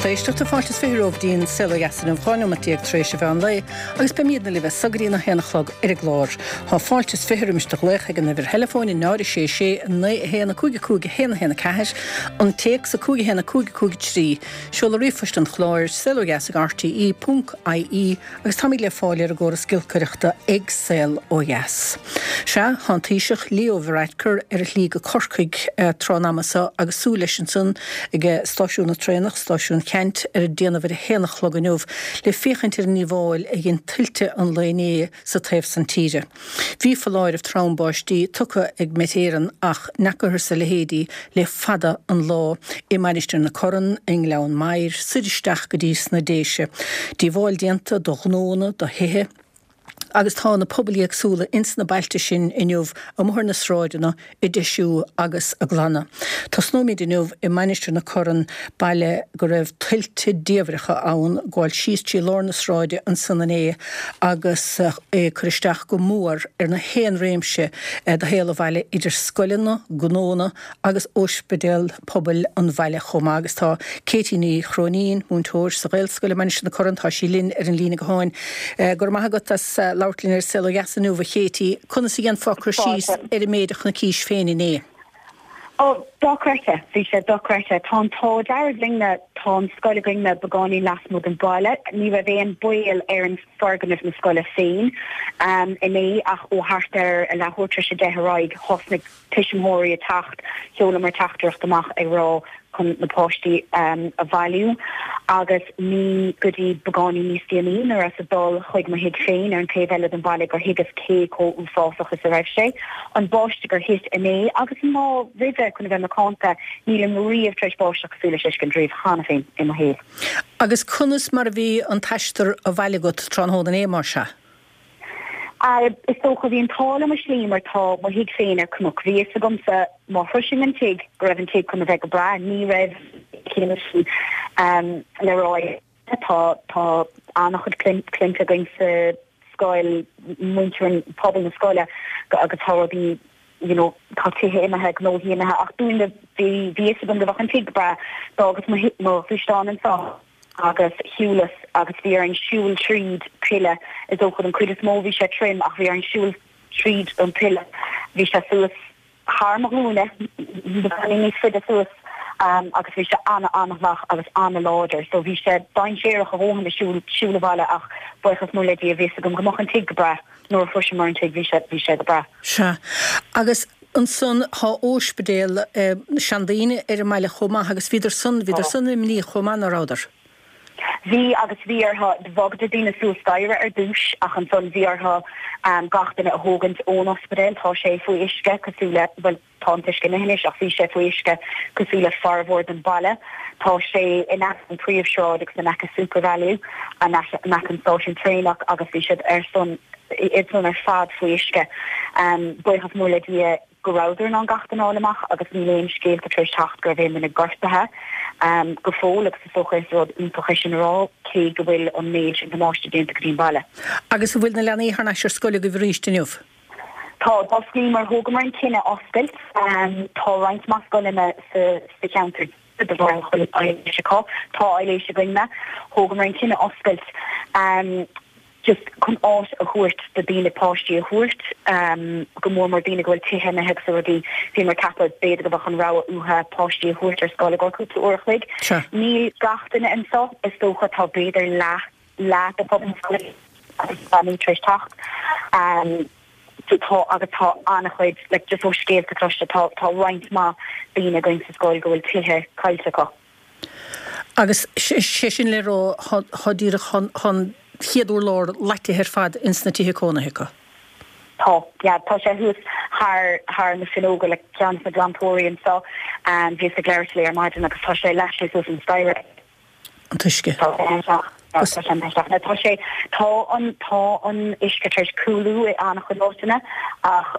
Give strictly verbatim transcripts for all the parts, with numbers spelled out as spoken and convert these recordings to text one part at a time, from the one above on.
Lucht éisteachta fáilte is fiche romhaibh go dtí an Saol Ó Dheas inniu dhá nóiméad déag tar éis an mheán lae agus beimidne libh as so go dtí a haon a chlog ar an gclár. Tá fáilte is fiche roimis do ghlaoch ag an uimhir theileafóin náid sé sé naoi a haon a cúig a cúig a haon a haon a ceathair, an téacs a cúig a haon a cúig a cúig a trí, seoladh ríomhphoist an chláir saol ó dheas ag RTE ponc IE agus táimid le fáil ar an gcóras giolcaireachta ag Saol Ó Dheas. Sea, tá an Taoiseach Leo Varadkar ar a shlí go Corcaigh tráth an ama seo agus súil leis ansan ag stáisiún na traenach, stáisiún Cheannt, ar an déanamh ar a haon a chlog inniu le féachaint ar an ndíobháil a dhein tuilte an lae inné sa taobh san tíre. Bhí foláireamh trom báistí tugtha ag Met Éireann ach n'fheacathas a leithéidí le fada an lá i Mainistir na Corann, i nGleann Maghair, soir isteach go dtí sna Déise. Díobháil déanta do ghnónna, do thithe, agus tá na pobail éagsúla ins na bailte sin inniu amuigh ar na sráideanna ag deisiú agus ag glanadh. Tosnóimid inniu i Mainistir na Corann, baile go raibh tuilte diamhracha ann, gabháil síos trí lár na sráide ansan inné agus é ag cur isteach go mór ar na haon réimse de shaol an bhaile idir scoileanna, gnónna agus óispidéal pobail an bhaile chomh maith. Agus tá Katie Ní Chróinín, múinteoir sa Ghaelscoil i Mainistir na Corann, tá sí linn ar an líne gutháin. Go raibh maith agat as labhairt linn ar Saol Ó Dheas inniu, a Katie. Conas a dhéanfá cur síos ar an méid a chonaicís féin inné? Ó, dochreidte. Bhí sé dochreidte. Tá an t-ádh dearg linne, tá an scoil againne beagáinín lasmuigh den bhaile. Ní raibh aon baol ar an foirgneamh na scoile féin inné ach ó thart ar a leathuair tar éis a deich ar aghaidh thosnaigh tuismitheoirí ag teacht, sheolamar teachtaireacht amach ag rá chun na páistí a bhailiú agus ní go dtí beagáinín níos déanaí nuair a rabhas ag dul chuig mo thigh féin ar an taobh eile den bhaile gur thuigeas cé chomh uafásach is a raibh sé. An báisteach gur thit inné agus an lá roimhe chun a bheith macánta, nílim riamh tar éis báisteach cosúil leis a fheiscint riamh cheana féin i mo shaol. Agus conas mar a bhí an t-aistear abhaile agat tráthnóna inné, mar sea? Is dócha, bhí an t-ádh liom i slí mar tá mo thigh féin ar cnoc. Bhí fhios agamsa má shroisinn an tigh go raibh an tigh chun a bheith go breá. Ní raibh sin le rá. Tá tá an-chuid cliant againn sa scoil, muintir an pobal na scoile agus tá rudaí you know tá tithe imithe, gnóthaí imithe ach dúinne bhí bhí fhios agam go bheadh an tigh go breá. D'fhágas mo mo ghluaisteán anseo. agus shiúlas agus bhí orainn siúl tríd tuile, is dócha don chuid is mó bhí sé tirim ach bhí orainn siúl tríd an tuile, bhí sé suas thar mo ghlúine, beagáinín níos faide suas agus bhí sé ana-ana-fhliuch agus ana-láidir so bhí sé dainséarach a dhóthain le siúl siúl abhaile ach buíochas mór le Dia bhí fhios agam go mbeadh an tigh go breá nuair a shroiseamar an tigh bhí sé bhí sé go breá. Sea. Agus ansan tá óispidéal seandaoine ar an mbaile chomh maith agus bhíodar san, bhíodar san imníoch chomh maith, ná rabhadar? Bhí agus bhí orthu, bhogadar daoine suas staighre ar dtús ach ansan bhí orthu gach duine a thógaint ón ospidéal, tá sé faoi uisce cosúil le, bhuel tá an t-uisce imithe anois ach bhí sé faoi uisce cosúil le formhór den bhaile. Tá sé in aice an príomhshráid agus in aice Supervalu, in aice an stáisiún traenach agus bhí siad ar son, iad san ar fad faoi uisce. Buíochas mór le Dia go rabhadar in ann gach duine a fháil amach agus níl aon scéalta tar éis teacht go raibh aon duine gortaithe go fóill agus is dócha is rud iontach é sin a rá cé go bhfuil an méid sin damáiste déanta go dtí an baile. Agus an bhfuil na leanaí thar n-ais ar scoil agaibh arís inniu? Tá, d'osclaíomar, thógamar an cinneadh oscailt. Tá roinnt mhaith scoileanna sa cheantar de bharr nach bhfuil aibhléis acu. Tá aibhléis againne. Thógamar an cinneadh oscailt just chun áit a thabhairt do daoine páistí a thabhairt, go mór mór daoine go bhfuil tithe imithe agus rudaí. Bhíomar ag ceapadh b'fhéidir go mbeadh an rogha uathu páistí a thabhairt ar scoil i gcomhair cúpla uair a chloig. Níl gach duine anseo, is dócha, tá b'fhéidir leath, leath de phobal na scoile agus leanaí tar éis teacht. Tá agus tá an-chuid, like just ó scéalta cloiste, tá tá roinnt mhaith daoine againn sa scoil go bhfuil tithe caillte acu. Agus sé sin le rá tá díreach an chéad urlár leáite ar fad ins na tithe cónaithe acu. Tá, yeah, tá sé thuas thar thar na fuinneoga le ceann de na glantóirí anseo. Bhíos ag labhairt léi ar maidin agus tá sé leath sé suas an staighre. An t-uisce. Tá sé imithe. Tá sé, tá an, tá an uisce tar éis cúlú i an-chuid áiteanna ach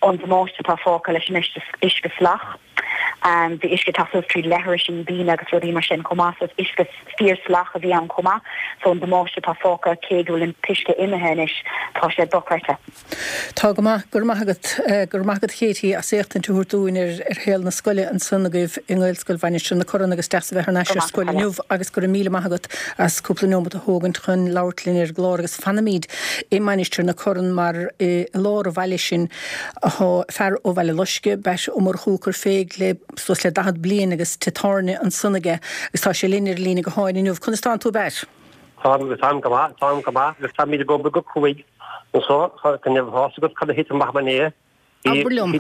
an damáiste atá fágtha leis an uisce salach Bhí uisce ag teacht suas trí leithrisí daoine agus rudaí mar sin chomh maith so is uisce fíor-salach a bhí ann chomh maith so an damáiste atá fágtha cé go bhfuil an t-uisce imithe anois tá sé dochreidte. Tá go maith, go raibh maith agat, go raibh maith agat Katie as éachtaint a thabhairt dúinn ar ar shaol na scoile ansan agaibh i nGaelscoil Mhainistir na Corann agus deas a bheith thar n-ais ar scoil inniu agus go raibh míle maith agat as cúpla neomat a thógaint chun labhairt linn ar an gclár agus fanaimid i Mainistir na Corann mar i lár an bhaile sin athá fear ó Bhaile Loiscthe, Batt Ó Murchú ag cur fé le suas le daichead bliain agus tigh tábhairne ansan aige agus tá sé linn ar an líne gutháin inniu. Conas tánn tú Batt? Táim, táim go maith, táim go maith agus táimid ag obair go cruaidh anso chun a bheith agat cad a thit amach inné. Abair liom.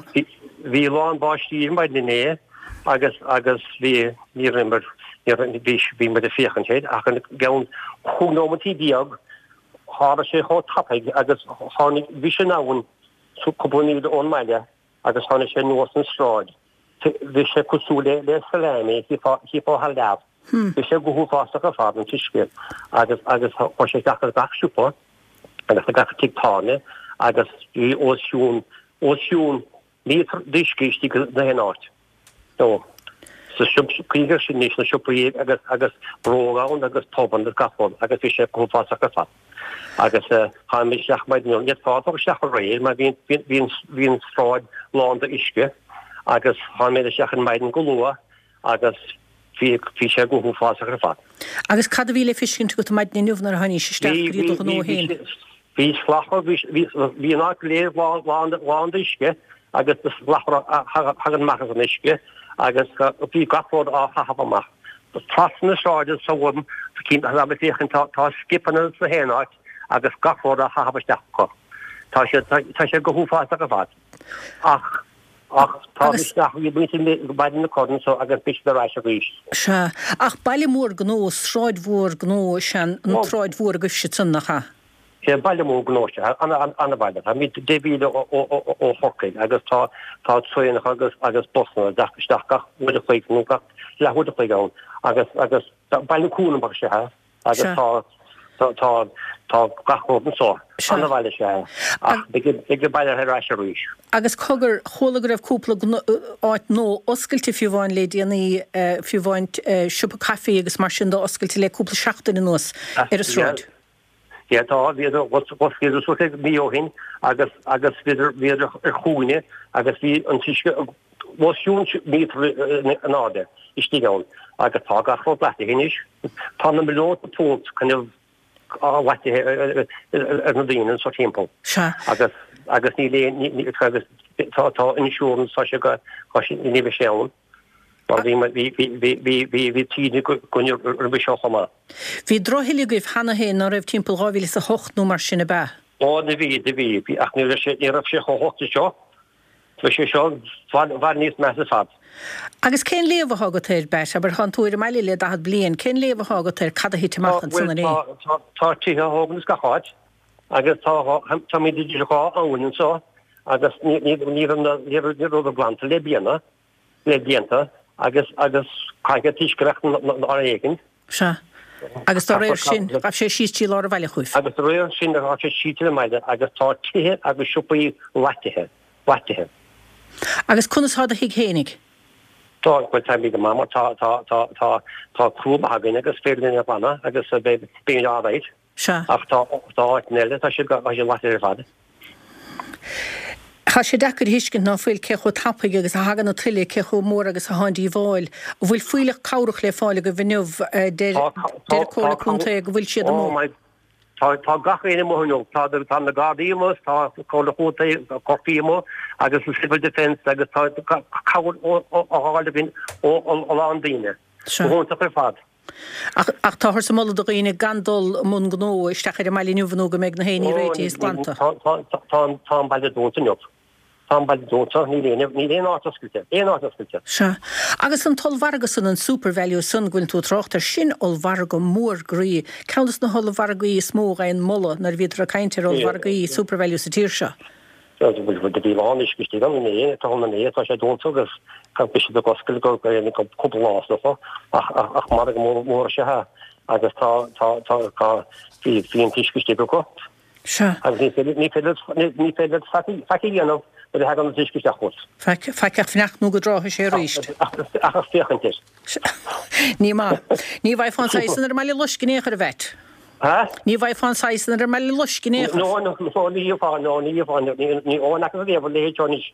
Bhí lán báistí ar maidin inné agus agus bhí ní raibh bhí bhí muid ag féachaint air ach i gceann chúig nóimeataí déag tharla sé chomh tapaidh agus tháinig bhí sé in abhainn cúpla míle ón mbaile agus tháinig sé anuas an sráid. Bhí sé cosúil le le salami, cheapfá thar lear. Bhí sé go huafásach ar fad an t-uisce agus agus chuir sé isteach ar gach siopa agus ar gach tigh tábhairne agus bhí os cionn os cionn míotar d'uisce istigh na haon áit. So sa cuimhnigh air sin anois na siopaí agus agus bróg ann agus pubanna agus gach rud agus bhí sé go huafásach ar fad. Agus tháinig mé isteach maidin ní fhéadfá dul isteach aréir mar bhí bhí bhí an sráid lán d'uisce agus tháinig mé isteach ar maidin go luath agus bhí bhí sé go huafásach ar fad. Agus cad a bhí le feiscint agat maidin inniu nuair a tháinís isteach go dtí do ghnó féin? Bhí slabhra bhí bhí an áit go léir lán lán lán d'uisce agus na slabhra a thagann amach as an uisce agus bhí gach rud á chaitheamh amach. Trasna na sráide s'agam tá mé ag féachaint tá tá scipeanna sa haon áit agus gach rud á chaitheamh isteach acu. Tá sé tá sé go huafásach ar fad. Ach ach tá isteach bhí muintir Bhaile na Corann so agus beidh siad ar ais arís. Sea. Ach baile mór gnó, sráid mhór gnó is ea an tsráid mhór agaibhse ansan, nach ea? Sea, baile mór gnó is ea, an-bhaile. Táimid deich mhíle ó Chorcaigh agus tá tá traenacha agus agus busanna ag teacht isteach gach uair a chloig nó gach leathuair a chloig ann agus agus baile cúramach is ea é agus tá tá tá tá gach rud anso. An-bhaile is ea é ach beidh beidh an baile ar ais arís. Agus cogar, chuala go raibh cúpla áit nua oscailte fiú amháin le déanaí, fiú amháin siopa caife agus mar sin de oscailte le cúpla seachtain anuas ar an sráid. Yeah, tá, bhíodar, dh'osclaíodar suas le mí ó shin agus, agus bhíodar, bhíodar ar chúinne agus bhí an t-uisce os cionn míotar in airde istigh ann agus tá gach rud leathnaithe anois. Tá na milliúnta punt kind of leathnaithe ar na daoine anseo timpeall. Sea. Agus, agus níl aon, ní, agus tá, tá insurance, tá sé go, tá sé, ní bheidh sé ann. Mar bhí, bhí, bhí, bhí, bhí, bhí, bhí taoide againn roimhe seo chomh maith. Bhí drochthuile agaibh cheana féin, ná raibh, timpeall dhá mhíle is a hocht nó mar sin, ab ea? Ó, do bhí, do bhí, bhí, ach ní raibh sé, ní raibh sé chomh holc is seo. Bhí sé seo i bhfad, i bhfad níos measa ar fad. Agus cén léamh athá agat air, Batt? Abair, thánn tú ar an mbaile le daichead bliain, cén léamh athá agat ar cad a thit amach Tá, ansan bhuel, inné? tá, tá, tá tithe á thógaint ins gach áit agus tá dhá, táimid idir dhá abhainn anso agus ní, ní, ní raibh na, ní raibh, ní raibh glanta le bliana. le blianta agus agus caithfidh an t-uisce a bheith áit éigin. Sea. Agus dá réir sin, ghabh sé síos trí lár an bhaile chugaibh. Agus dá réir sin, ghabh sé síos trí an mbaile agus tá tithe agus siopaí leathnaithe, leathnaithe. Agus conas thá do thigh fhéinig? Tá, bhuel táimid go maith mar tá, tá, tá, tá, tá criú maith againn agus féidir linn a ghlanadh agus beidh, beimid alright. Sea. Ach tá, tá áiteanna eile, tá siad, tá siad leathnaithe ar fad. Tá sé deacair a thuiscint ná fuil cé chomh tapaidh agus a thagann an tuile, cé chomh mór agus athá an díobháil. An bhfuil fuílleach cabhrach le fáil agaibh inniu? Deir Tá, deir tá, an tá, Comhairle Contae go bhfuil siad oh amuigh. my, tá, tá gach éinne amuigh inniu. Tá, tá na Gardaí amuigh, tá Comhairle Chontae Chorcaí amuigh agus an Civil Defence agus tá cabhair á fháil againn ó a lán daoine. Sea. Go hiontach ar fad. Ach, ach táthar ag moladh do dhaoine gan dul i mbun gnó isteach ar an mbaile inniu nó go mbeidh na héinní Ó, réitithe is glanta. tá, tá, tá, tá, tá an baile dúnta inniu. Tá an baile dúnta, níl aon, níl aon áit oscailte, aon áit oscailte. Sea. Agus an t-ollmhargadh san, an Supervalu san go bhfuil tú ag trácht air, sin ollmhargadh mór groí, ceann des na hollmhargaí is mó a fhaigheann moladh nuair a bhíodar ag caint ar ollmhargaí Supervalu sa tír seo. Bhí lán uisce istigh ann inné, tá ann inné, tá sé dúnta agus beidh siad ag oscailt go cúpla lá is dócha ach ach margadh mór mór is ea é agus tá tá tá tá bhí bhí an t-uisce istigh acu. Sea. Agus ní féidir ní féidir ní féidir faic a dhéanamh nuair a thagann an t-uisce isteach chugat. Faic, faic ach fanacht nó go dtráfaidh sé arís. Ach ach féachaint air. Ní maith. Ní bhfaighfeá an saghas san ar an mBaile Loiscthe in aon chor, a Mheait. Ha? Ní bhfaighfeá an saghas san ar an mBaile Loiscthe in aon chor. No, no, no, ní gheofá, no, ní gheofá, ní, ní, ó, n'fhacthas riamh a leithéid seo anois.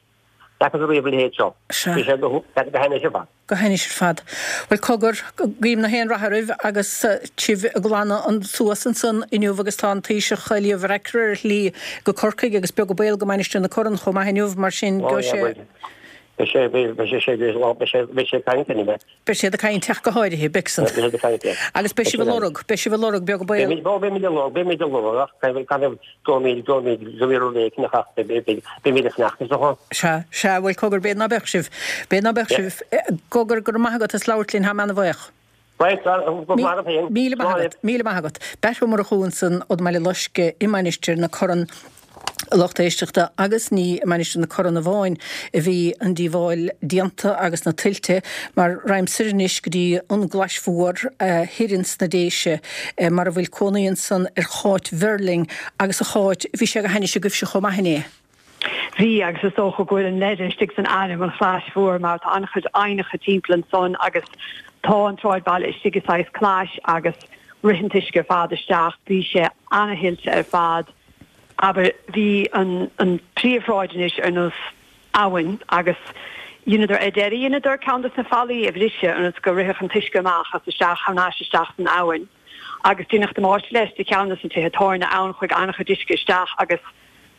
N'fhacthas riamh a leithéid seo. Sea. Bhí sé go, go hainnis ar fad. Go hainnis ar fad. Bhuel, cogar, guím na haon rath oraibh agus sibh ag glanadh an suas ansan inniu agus tá an Taoiseach Leo Varadkar ar a shlí go Corcaigh agus beag an baol go Mainistir na Corann chomh maith inniu, mar sin Ó, gheobhaidh yeah, sé. bhuel, beidh sé, beidh, beidh sé, sé, beidh sé, beidh sé ag caint anyway. Beidh siad ag caint ach go háirithe, beidh san. Beidh siad ag caint, yeah. Agus beidh sibh ag lorg, beidh sibh ag lorg, beag an baol. Beimid, ó, beimid ag lorg, beimid ag lorg ach gan, gan, go mbeidh, go mbeidh, go mbeidh rud éicint ach beidh, beidh, beimid ag fanacht is dócha. Sea, sea, bhuel cogar, b'fhéidir ná beadh sibh, b'fhéidir ná beadh Yeah. sibh. Cogar, go raibh maith agat as labhairt linn, táim ana-bhuíoch. Right, go raibh maith agat féin. Míle maith agat, míle maith agat. Batt Ó Murchú ansan ón mBaile Loiscthe i Mainistir na Corann. A lucht éisteachta, agus ní i Mainistir na Corann amháin a bhí an díobháil déanta agus na tuilte, mar ragham soir anois go dtí an gClais Mhór thoir ins na Déise, mar a bhfuil cónaí ansan ar Cháit Verling, agus a Cháit, bhí sé go hainnis agaibhse chomh maith inné. Bhí, agus is dócha go bhfuil an leide istigh san ainm, an Chlais Mhór, mar tá an-chuid aibhneacha timpeall ansan agus tá an tsráidbhaile istigh i saghas clais agus rith an t-uisce ar fad isteach. Bhí sé ana-thuilte ar fad. Abair, bhí an an príomhshráid anois ar nós abhainn agus dheineadar, ar deireadh dheineadar ceann des na fallaí a bhriseadh ionas go rithfeadh an t-uisce amach as isteach thar n-ais isteach san abhainn agus deineadh damáiste leis do cheann des na tithe tábhairne ann, chuaigh an-chuid uisce isteach agus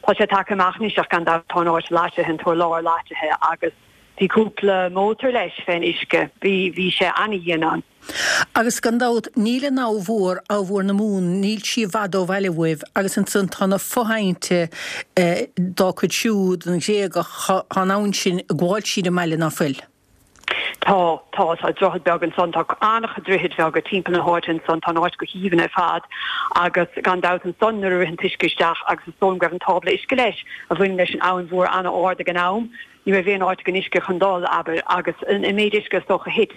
tá sé tagtha amach anois ach gan dabht tá an áit leáite, an t-urlár leáite agus bhí cúpla mótar leis fén uisce, bhí, bhí sé ana-dhian ann. Agus gan dabht, níl an Abha Mhór, Abha Mhór na Mumhan, níl sí i bhfad ó bhaile uaibh, agus ansan tá na fo-aibhnte dá cuid siúd, an Ghréagach, tá an abhainn sin ag gabháil tríd an mbaile, ná fuil? Tá, tá, tá droichead beag ansan, tá an-chuid droichid bheaga timpeall na háite ansan, tá an áit go haoibhinn ar fad agus gan dabht ansan nuair a rith an t-uisce isteach agus is dóigh liom go raibh an tábla uisce leis a bhaineann leis an Abhainn Mhór an-ard ag an am, ní raibh aon áit ag an uisce chun dul, abair, agus an méid uisce is dócha a thit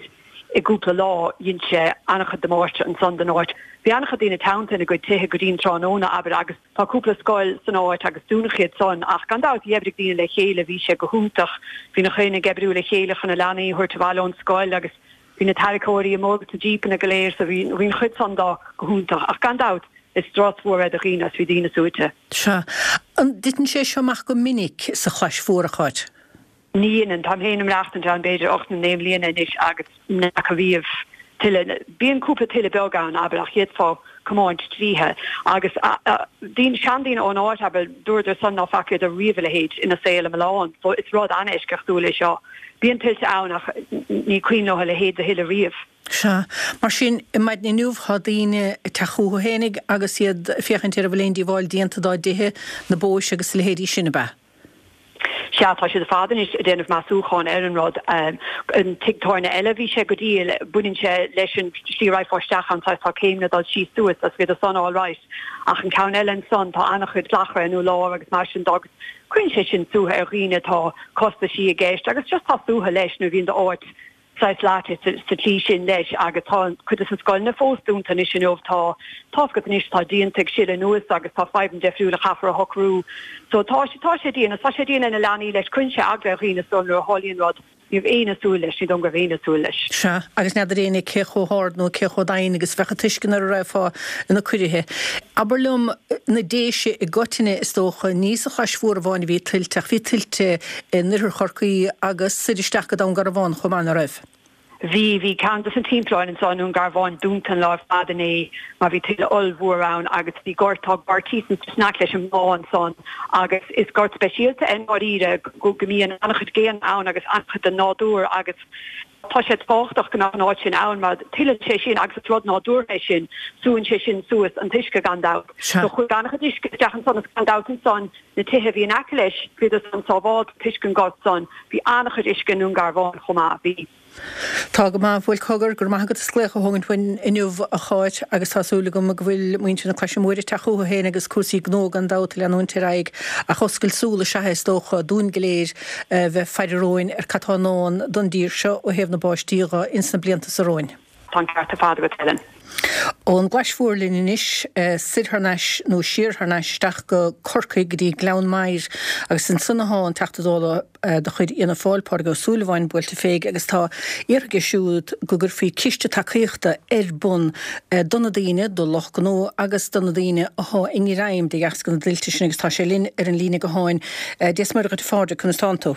i gcúpla lá dhein sé an-chuid damáiste ansan don áit. Bhí an-chuid daoine teannta ina gcuid tithe go dtí an tráthnóna, abair, agus tá cúpla scoil san áit agus dúnadh iad san ach gan dabht bhí oibrigh daoine le chéile, bhí sé go hiontach, bhí na daoine ag oibriú le chéile chun na leanaí a thabhairt abhaile ón scoil agus bhí na tarracóirí amuigh agus na jípeanna go léir so bhí bhí an chuid san de go hiontach ach gan dabht is strus mhór é do dhaoine agus bhí daoine suaite. Sea. An dtiteann sé seo amach go minic sa Chlais Mhór, a Cháit? Ní dheineann. Táim féin ag maireachtaint ann b'fhéidir ocht nó naoi mbliana anois agus n'fheaca riamh tuile. Bíonn cúpla tuile beag ann, abair, ach d'fhéadfá comáint tríothu. Agus daoine, seandaoine ón áit, abair, dúradar san ná facaíodar riamh a leithéid ina saol iomlán. So is rud an-eisceachtúil é seo. Bíonn tuilte ann ach ní cuimhin leo a leithéid de thuile riamh. Sea. Mar sin, maidin inniu tá daoine ag teacht chucu fhéinig agus iad ag féachaint ar an bhfuil aon díobháil déanta dá dtithe, na bóis agus a leithéidí sin, ab ea? Sea, tá siad ar fad anois ag déanamh measúcháin ar an rud. An tigh tábhairne eile, bhí sé go diail, baineann sé leis an tslí a raghfá isteach ann, saghas tá céimeanna dul síos suas agus bhíodar san all right. Ach an ceann eile ansan, tá an-chuid slachra in urlár agus mar sin de agus cuireann sé sin suaitheadh ar dhaoine, tá costaisí i gceist agus just tá suaitheadh leis nuair a bhíonn d'áit saghas leáite sa tslí sin leis agus tá cuid de na scoileanna fós dúnta anois inniu, tá tá's agat anois tá díonta ag sileadh anuas agus tá fadhbanna deifriúla a chaithfear a shocrú so tá sé tá sé dian agus tá sé dian ar na leanaí leis, cuireann sé eagla ar dhaoine so nuair a tharlaíonn rud ní raibh éinne ag súil leis, ní dóigh liom go raibh éinne ag súil leis. Sea, agus n'fheadar éinne cé chomh hard nó cé chomh domhain agus a bheadh an t-uisce nuair a raghfá ina coirithe. Abair liom, na Déise i gcoitinne is dócha, ní sa Chlais Mhór amháin a bhí tuilte ach bhí tuilte in oirthear Chorcaí agus soir isteach go Dún Garbhán chomh maith, ná raibh? Bhí, bhí ceann de na timpealláin anso i nDún Garbhán dúnta an lá ar fad inné mar bhí tuile ollmhór ann agus bhí gort, tá gort thíos in aice leis an mbá ansan agus is gort speisialta é i ndáiríre go go mbíonn an-chuid géanna ann agus an-chuid den nádúr agus tá sé tábhachtach go mbeadh an áit sin ann mar tuilleann sé sin agus is rud nádúrtha é sin, súann sé sin suas an t-uisce gan dabht. Sea. So chuaigh an-chuid uisce isteach ansan agus gan dabht ansan na tithe a bhí in aice leis, bhíodar san sábháilte toisc an gort san. Bhí an-chuid uisce i nDún Garbhán chomh maith. Bhí. Tá go maith. Bhuel, cogar, go raibh maith agat as glaoch a thógaint uainn inniu, a Cháit, agus tá súil agam go bhfuil muintir na Claise Móire ag teacht chucu féin agus cúrsaí gnó gan dabht ag leanúint ar aghaidh ach oscailt súl is ea é is dócha dúinn go léir a bheith ag faire romhainn ar cad tá i ndán don dtír seo ó thaobh na báistí dho ins na blianta so romhainn. Tá an ceart ar fad agat, Helen. Ón gClais Mhór linn anois, soir thar n-ais nó siar thar n-ais isteach go Corcaigh go dtí Gleann Maghair agus ansan athá an Teachta Dála de chuid Fhianna Fáil, Pádraig Ó Súilleabháin, buailte féig agus tá iarrtha aige siúd go gcuirfí ciste tacaíochta ar bun do na daoine, do lucht gnó agus do na daoine athá i ngreim de dheasca na dtuilte sin agus tá sé linn ar an líne gutháin. Dia 's Muire dhuit a Phádraig, conas tánn tú?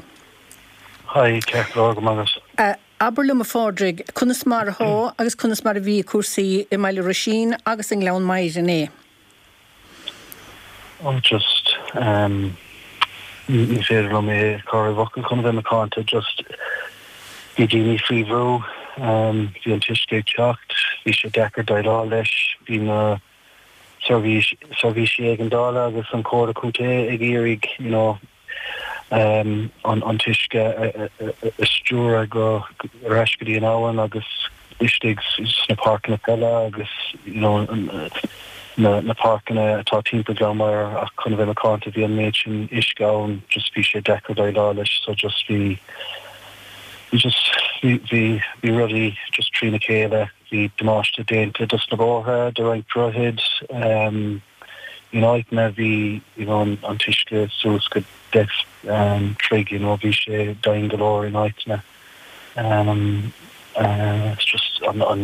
Hi, ceart go leor, go maith agat. Abair liom a Phádraig, conas mar athá agus conas mar a bhí cúrsaí i mBaile Roisín agus i nGleann Maghair inné? Oh just ehm ní féidir liom é a chur i bhfocail chun a bheith macánta, just bhí daoine faoi bhrú, ehm bhí an t-uisce ag teacht, bhí sé deacair déileáil leis, bhí na seirbhís, seirbhísí éigeandála agus an Chomhairle Contae ag iarraidh you know an an t-uisce a stiúradh go ar ais go dtí an abhainn agus istigh sna páirceanna peile agus you know na na páirceanna atá timpeall Ghleann Maghair ach chun a bheith macánta bhí an méid sin uisce ann just bhí sé deacair déileáil leis so just bhí bhí just bhí bhí bhí rudaí just trína chéile bhí damáiste déanta dos na bóithre do roinnt droichid um in áiteanna bhí you know an t-uisce suas go deich troigh you know bhí sé domhain go leor in áiteanna um it's just an an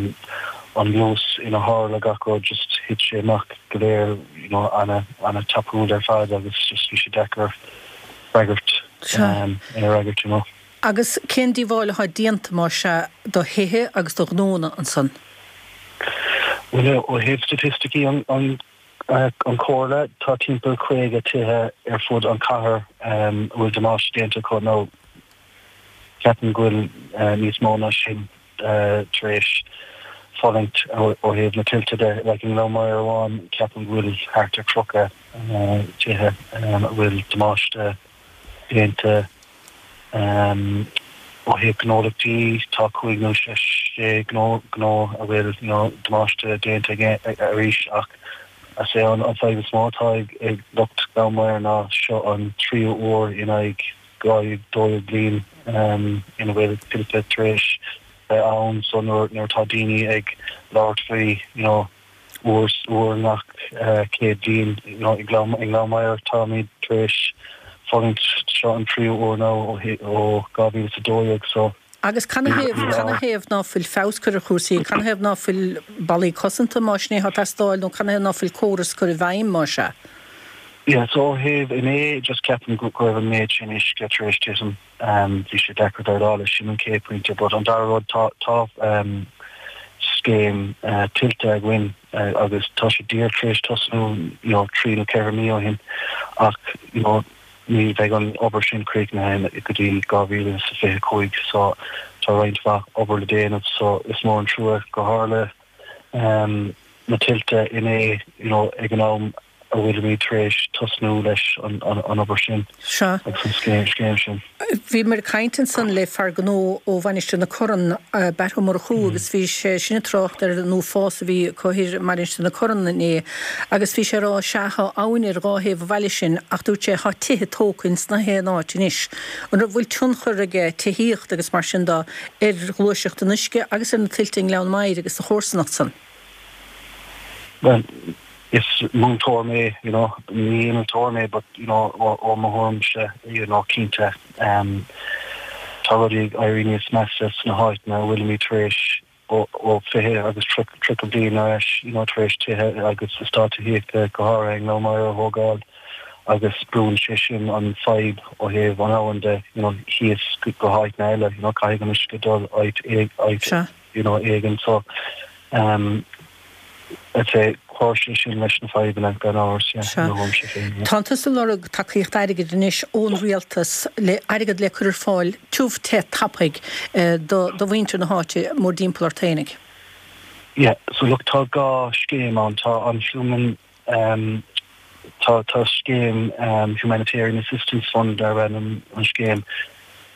an luas ina tharla gach rud just thit sé amach go léir you know ana ana tapúil ar fad agus just bhí sé deacair freagairt um ina fhreagairt you know. Agus cén díobháil atá déanta mar sea do thithe agus do ghnónna ansan? Bhuel ó thaobh staitisticí an an an Chomhairle, tá timpeall caoga tithe ar fud an chathair a bhfuil damáiste déanta acu nó ceapaim go bhfuil níos mó ná sin tar éis fulaingt ó thaobh na tuilte de. Like i nGleann Maghair amháin, ceapaim go bhfuil thart ar tríocha tithe a bhfuil damáiste déanta. Ó thaobh gnólachtaí, tá cúig nó sé gnó a bhfuil damáiste déanta arís ach is é an fadhb is mó atá ag lucht Ghleann Maghair ná seo an tríú uair in aghaidh dhá dó dhéag bliain ina bhfuil tuilte tar éis bheith ann so nuair atá daoine ag labhairt faoi you know uair uair i ngach céad bliain you know i nGleann Maghair táimid tar éis fulaingt seo an tríú uair now ó dhá mhíle is a dó dhéag so Agus canathaobh, canathaobh ná fuil feabhas curtha ar chúrsaí, canathaobh ná fuil ballaí cosanta más sin é atá ag teastáil nó canathaobh ná fuil córas curtha i bhfeidhm más ea? Yeah, so ó thaobh inné just ceapaim go raibh an méid sin uisce tar éis titim, bhí sé deacair déileáil leis, sin an chéad pointe. But an dara rud, tá tá scéim tuilte againn agus tá sé díreach tar éis tosnú you know trí nó ceithre mí ó shin ach you know ní bheidh an obair sin críochnaithe go dtí dhá mhíle is a fiche a cúig so tá roinnt mhaith obair le déanamh so is mór an trua go tharla na tuilte inné you know ag an am a bhfuilimid tar éis tosnú leis an an obair sin Sea. agus an scéim scéim sin. Bhíomar ag caint ansan le fear gnó ó Mhainistir na Corann, Batt Ó Murchú, agus bhí sé sin ag trácht ar an uafás a bhí acu thoir i Mainistir na Corann inné agus bhí sé ag rá, sea, tá abhainn ar dhá thaobh an bhaile sin ach dúirt sé, tá tithe tógtha ins na haon áit anois. An raibh, bhfuil tionchar aige tithíocht agus mar sin de ar ghluaiseacht an uisce agus ar na tuilte i nGleann Maghair agus sa chomharsanacht san? Bhuel, is múinteoir mé, you know, ní innealtóir mé but, you know, ó mo thuairimse, you know, cinnte, tá rudaí ag éirí níos measa sna háiteanna a bhfuilimid tar éis ó fiche agus tríocha bliain ar ais, you know, tar éis tithe agus eastáit tithíochta go háirithe i nGleann Maghair a thógáil agus brúnn sé sin an fadhb ó thaobh an abhainn de, you know, thíos go háiteanna eile, you know, caithfidh an uisce dul áit áit, you know, éigin so, um, I'd say chuir sé sin leis na fadhbanna gan amhras, yeah, Sea. i mo thuairimse féin, yeah. Tánn tusa ag lorg tacaíocht airgid anois ón rialtas le airgead le cur ar fáil tiubh te tapaidh do do mhuintir na háite mórdtimpeall ort fhéinig. Yeah, so look, tá dhá scéim ann, tá an Human, um, tá tá scéim um, Humanitarian Assistance Fund darb ainm an scéim,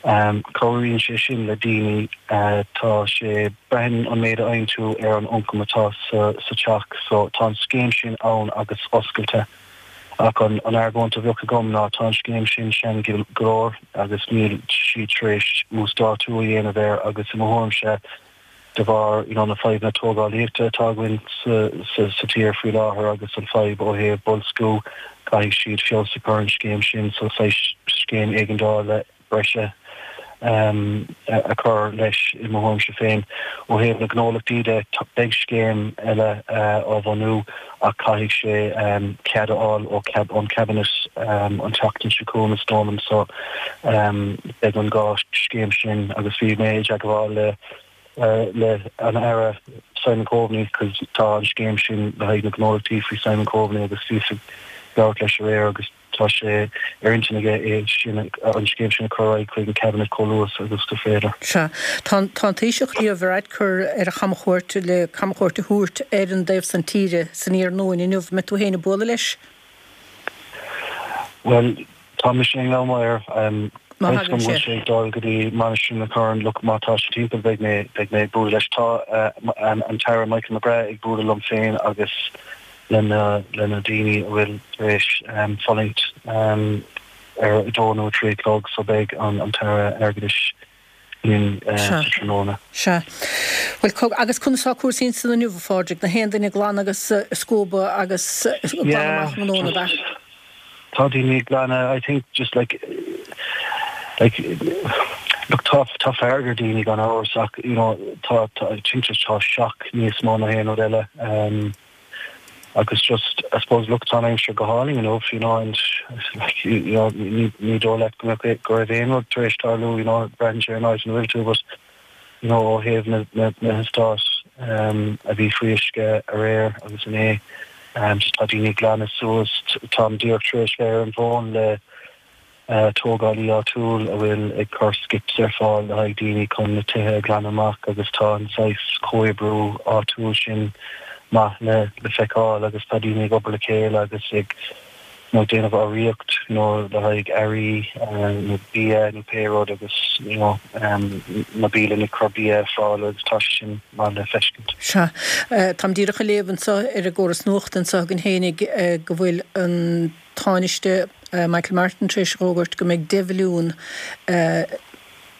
Cabhraíonn sé sin le daoine. Tá sé, braitheann an méid a fhaigheann tú ar an ioncam atá sa teach. So tá an scéim sin ann agus oscailte. Ach an argóint a bheadh agam ná tá an scéim sin sean go leor agus níl siad tar éis uasdátú a dhéanamh air agus i mo thuairimse de bharr you know, na fadhbanna tógálaíochta atá againn sa, sa, sa tír faoi láthair agus an fadhb ó thaobh boilsciú caithfidh siad feabhas a chur ar an scéim sin so scéim éigeandála breise um, a chur leis i mo thuairimse féin ó thaobh na gnólachtaí de beidh scéim eile uh, á bhunú ach caithfidh sé um, cead a fháil ó cab ón cabinet um, an tseachtain seo chugainn is dóigh liom so um, beidh an dhá scéim sin agus bhí mé ag gabháil le uh, le an Aire Simon Coveney cos tá an scéim sin le haghaidh na gnólachtaí faoi Simon Coveney agus bhí ag labhairt leis aréir agus tá sé ar intinn aige é sin an scéim sin a chur chuig an cabinet chomh luath agus is féidir. Sea tá an Taoiseach Leo Varadkar ar a chamchuairt le camchuairt a thabhairt ar an dtaobh san tíre san iarnóin inniu mbeidh tú féin ag bualadh leis? Well tá mé sin le mar um, sé dul go dtí Mainistir na Corann look má tá sé timpeall beidh mé beidh mé bualadh leis tá uh, an, an tAire Michael McGrath ag bualadh liom féin agus lena lena daoine a bhfuil tar éis um, fulaingt um, ar a dó nó trí chlog so beidh an an tAire Airgeadais linn uh, sa tráthnóna. Sea. Well agus conas atá cúrsaí san inniu a Phádraig na haon duine glan agus uh, scuaba agus uh, Yeah, glanadh just- Tá daoine glanadh I think just like like look tá tá fearg ar daoine gan amhras ach you know tá tá I think just tá shock níos mó ná haon rud eile um, agus just I suppose look tá aimsir go hálainn you know you know and like you, you know ní ní dóigh leat go mbeadh go raibh aon rud tar éis tarlú you know braitheann sé an áit ina bhfuil tú but you know ó thaobh na na na heastáit um, a bhí faoi uisce aréir agus inné um, so tá daoine glanadh suas táim díreach tar éis bheith ar an bhfón le uh, tógálaí áitiúil a bhfuil ag cur skips ar fáil le haghaidh daoine chun na tithe glanadh amach agus tá an saghas comhoibriú áitiúil sin maith le le feiceáil agus tá daoine ag obair le chéile agus ag nó déanamh urraíocht nó le haghaidh earraí nó bia nó pé rud agus you know, um, na bialanna ag cur bia ar fáil agus tá sé sin maith le feiscint. Sea Táim díreach ag léamh anseo ar an gcóras nuachta anseo againn fhéinig go bhfuil an Tánaiste Michael Martin tar éis fógairt go mbeidh deich mhilliún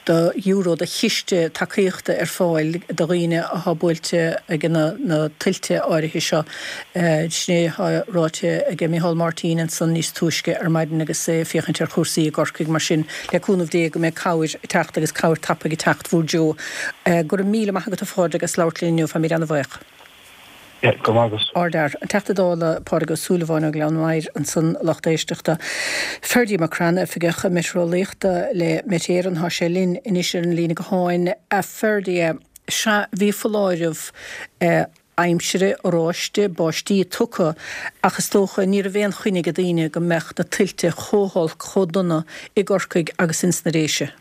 de euro de chiste tacaíochta ar fáil do dhaoine atá buailte ag na, na tuilte áirithe seo. Sin é atá ráite ag Micheál Martin ansan níos túisce ar maidin agus é féachaint ar chúrsaí i gCorcaigh mar sin le cúnamh Dé go mbeidh cabhair ag teacht agus cabhair tapa ag teacht bhúr Joe. Go raibh míle maith agat a Phádraig as labhairt linn inniu táimid an-bhuíoch. Yeah, go maith agat. Ardfhear. An Teachta Dála Pádraig Ó Súilleabháin ó Ghleann Maghair ansan lucht éisteachta. Ferdia McCrann oifigeach meitéareolaíochta le Met Éireann tá sé linn anois ar an líne gutháin a Ferdia sea bhí foláireamh eh, aimsire oráiste báistí tugtha ach is dócha ní raibh aon choinne ag daoine go mbeadh na tuilte chomh holc chomh dona i gCorcaigh agus ins na Déise.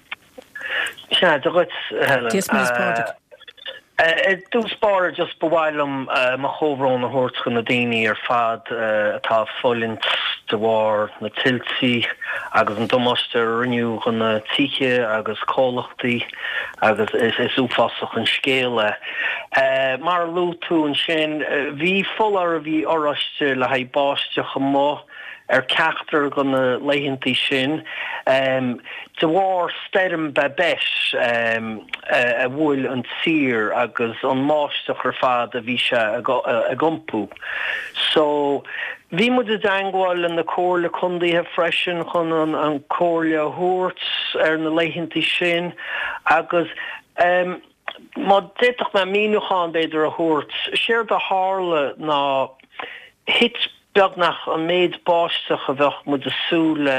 Sea, Dia dhuit Helen. Dia is Muire Pádraig. I dtús báire just ba mhaith liom mo chomhbhrón a thabhairt chun na daoine ar fad atá fulaingt de bharr na tuilte agus an damáiste a rinneadh chun na tithe agus comhlachtaí agus is is uafásach an scéal é. Mar a luaigh tú ansin bhí foláireamh oráiste le haghaidh báisteach amuigh ar ceachtar de na laethantaí sin de bharr stoirm Babet a bhuail an tír agus an mbáisteach ar fad a bhí sé ag iompú. So bhí muid i dteagmháil le na comhairle contaetha freisin chun an an comhairle a thabhairt ar na laethantaí sin agus um, má d'fhéadfadh mé míniúchán b'fhéidir a thabhairt, séard a tharla ná thit beagnach an méid báisteach a bheadh muid ag súil le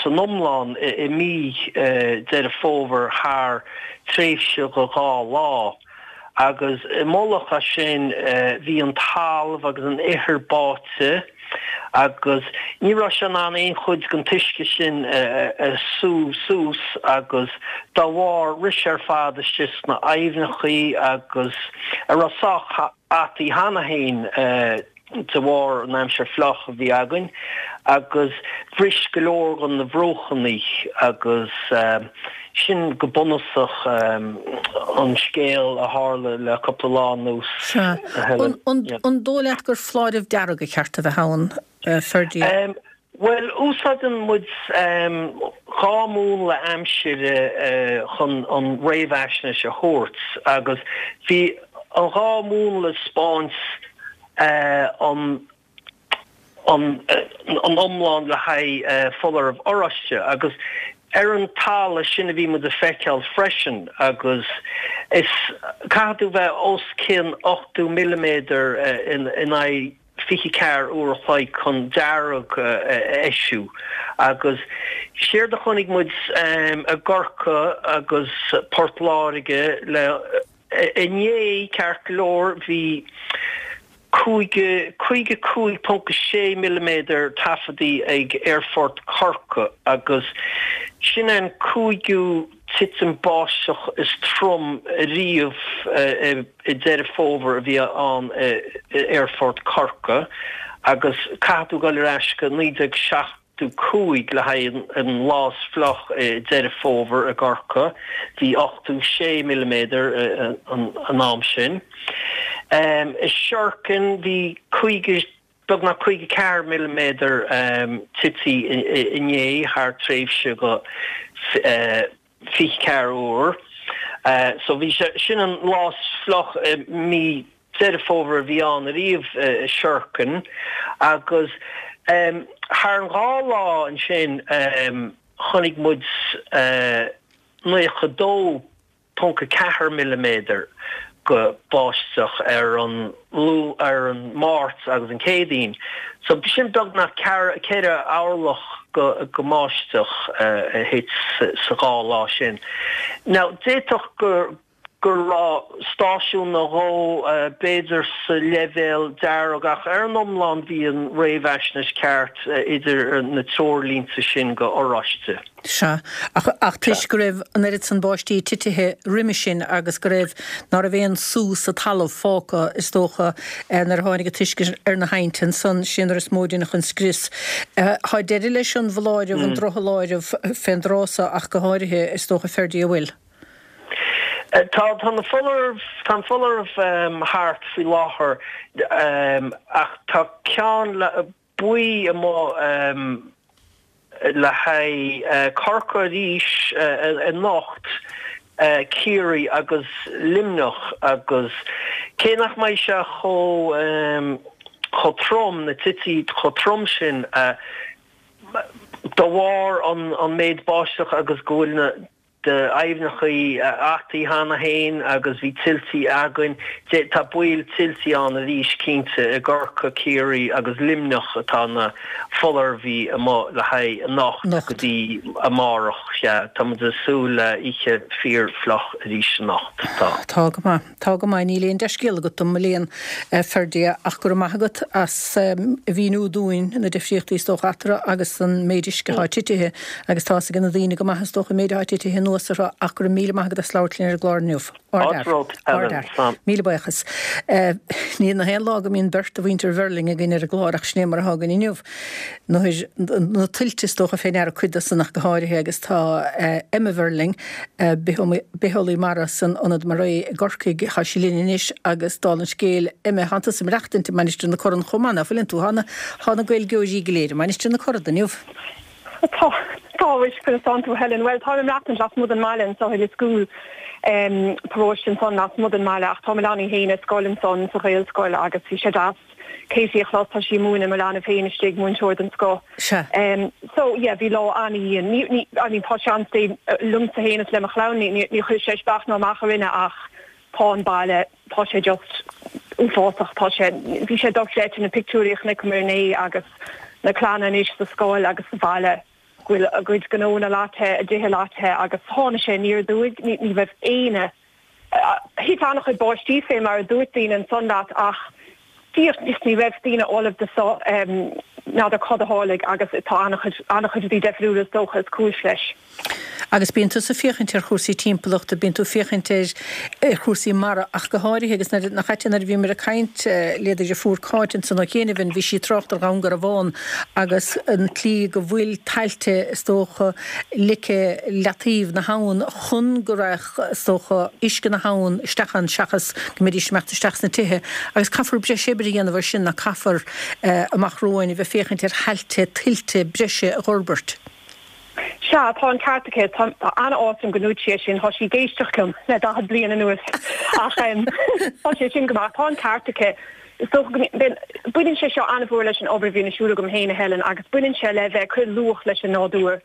san iomlán i mí Deireadh Fómhair thar tréimhse de dhá lá. Agus i mullach air sin bhí an talamh agus an ithir báite agus ní raibh sé in ann aon chuid den t-uisce sin a sú suas agus dá bharr rith sé ar fad isteach sna aibhneachaí agus a raibh sách ataí cheana féin de bharr an aimsir fliuch a bhí againn agus bhris go leor de na bruachanna agus sin go bunúsach an scéal a tharla le cúpla lá anuas. Sea. An dóigh leat gur foláireamh dearg ba cheart a bheith ann, Ferdia? Bhuel, úsáideann muid dhá mhúnla aimsire chun an réamhaisnéis a thabhairt agus bhí an dhá mhúnla ag 'spáint an an an iomlán le haghaidh foláireamh oráiste agus ar an talamh sin a bhí muid a feiceáil freisin agus is caithfidh tú bheith os cionn ochtó milliméadar in aghaidh fiche ceathair uair a chloig chun dearg a eisiú agus séard a chonaic muid i gCorcaigh agus Port Láirge le inné ceart go leor bhí cúig caoga cúig ponc sé milliméadar taifeadtaí ag Aerfort Chorcaí agus sin an cúigiú titim báisteach is trom riamh i Deireadh Fómhair a bhí ann i Aerfort Chorcaí agus caithfidh tú dul ar ais go naoi déag seachtó cúig le haghaidh an lá is fliuch i Deireadh Fómhair i gCorcaigh. Bhí ochtó sé milliméadar an am sin. I Sherkin bhí caoga, beagnach caoga ceathair milliméadar tite inné thar tréimhse go fiche ceathair uair. So bhí sé, sin an lá is fliuch i mí Deireadh Fómhair a bhí ann ariamh i Sherkin agus thar an dhá lá ansin chonaic muid naocha dó ponc a ceathair milliméadar go báisteach ar an ar an Máirt agus an Chéadaoin. So sin beagnach ceithre orlach go go mbáisteach a thit sa dhá lá sin. Now d'fhéadfadh gur go raibh stáisiún nó dhó b'fhéidir sa leibhéal dearg ach ar an iomlán bhí an réamhaisnéis ceart idir na treoirlínte sin go oráiste. Sea, ach ach toisc go raibh an oiread san báistí titithe roimis sin agus go raibh, ná raibh aon sú sa talamh fágtha is dócha nuair a tháinig an t-uisce ar na haibhnte ansan, sin nuair is mó a deineadh an scrios. Tá deireadh leis an bhfoláireamh, an drochfholáireamh fén dtráth so ach go háirithe is dócha Ferdia, an bhfuil? Tá tá na foláireamh, tá an foláireamh thart faoi láthair ach tá ceann le buí amuigh le haghaidh Corcaigh arís anocht, Ciarraí agus Luimneach agus cé nach mbeidh sé chomh chomh trom, na tuilte chomh trom sin de bharr an méid báisteach agus go bhfuil na d'aibhneachaí ataithe cheana féin agus bhí tuiltí againn. Tá baol tuiltí ann arís cinnte i gCorcaigh, Ciarraí agus Luimneach atá na foláirimh amuigh le haghaidh anocht go dtí amárach. Sea, tá muid ag súil le oíche fíor fliuch arís anocht. Tá. Tá go maith. Tá go maith. Níl aon dea-scéal agat dom, mo léan, a Ferdia, ach go raibh maith agat as a mhíniú dúinn na difríochtaí is dócha eatarthu agus an méid uisce atá titithe agus tá fhios ag na daoine go maith is dócha an méid atá titithe anuas orthu ach go raibh míle maith agat as labhairt linn ar an gclár inniu. Ardfhear. Míle buíochas. Ní haon lá go mbíonn beirt de mhuintir Verling againn ar an gclár ach sin é mar atá againn inniu. Na tuilte is dócha fé ndeara cuid de san ach go háirithe agus tá Emma Verling, bitheolaí mara san Ionad MaREI i gCorcaigh, tá sí linn anois agus dála an scéil, Emma, tánn tusa ag maireachtaint i Mainistir na Corann chomh maith, ná fuileann tú? Tá na Gaeilgeoirí go léir i Mainistir na Corann inniu. Tá, tá, mhuis, conas tánn tú, Helen? Bhuel, táim ag maireachtaint lasmuigh den mbaile anso i Lios Cúil, paróiste ansan lasmuigh den mbaile, ach tá mo leanaí féin ar scoil ansan sa Ghaelscoil agus bhí sé deas Katie a chlos, tá sí ag múineadh mo leanbh féin istigh, múinteoir den scoth. Sea. So, yeah, bhí lá an-dhian. Ní, ní, I mean, tá seans dé liomsa féin is le mo chlann, ní, ní, ní chuir sé isteach ná amach orainne ach tá an baile, tá sé just uafásach, tá sé, bhí sé dochreidte na pictiúirí a chonaiceamar inné agus na clanna anois sa scoil agus sa bhaile go bhfuil a gcuid gnónna leáite, a dtithe leáite agus tháinig sé aniar aduaidh, ní, ní raibh éinne, thit an-chuid báistí fé mar a dúirt daoine ansan leat ach díreach just ní raibh daoine ullamh do so, n'fheadar cad a tharlaigh agus tá an-chuid, an-chuid rudaí deifriúla is dócha is cúis leis. Agus bíonn tusa ag féachaint ar chúrsaí timpeallachta, bíonn tú ag féachaint ar chúrsaí mara ach go háirithe agus nuair, nach ait é nuair a bhíomar ag caint le do dheirfiúr Cáit ansan ó chianaibh, bhí sí ag trácht ar Dhún Garbhán agus an tslí go bhfuil tailte is dócha ligthe leataobh na habhann chun go raghadh is dócha uisce na habhann isteach ann seachas go mbeidís ag imeacht isteach sna tithe agus caithfear breis oibre a dhéanamh ar sin ná caithfear amach romhainn a bheith féachaint ar thailte tuilte breise a dh'fhorbairt. Sea, tá an ceart aici. Tá an-áthas orm go ndúirt sí é sin. Tá sí ag éisteacht liom le daichead bliain anuas. Ach tá sé sin go maith. Tá an ceart aici. Is dócha go mbíonn, baineann sé seo an-mhór leis an obair a bhíonn ar siúl agam féin, a Helen, agus baineann sé le bheith ag cur luach leis an nádúr.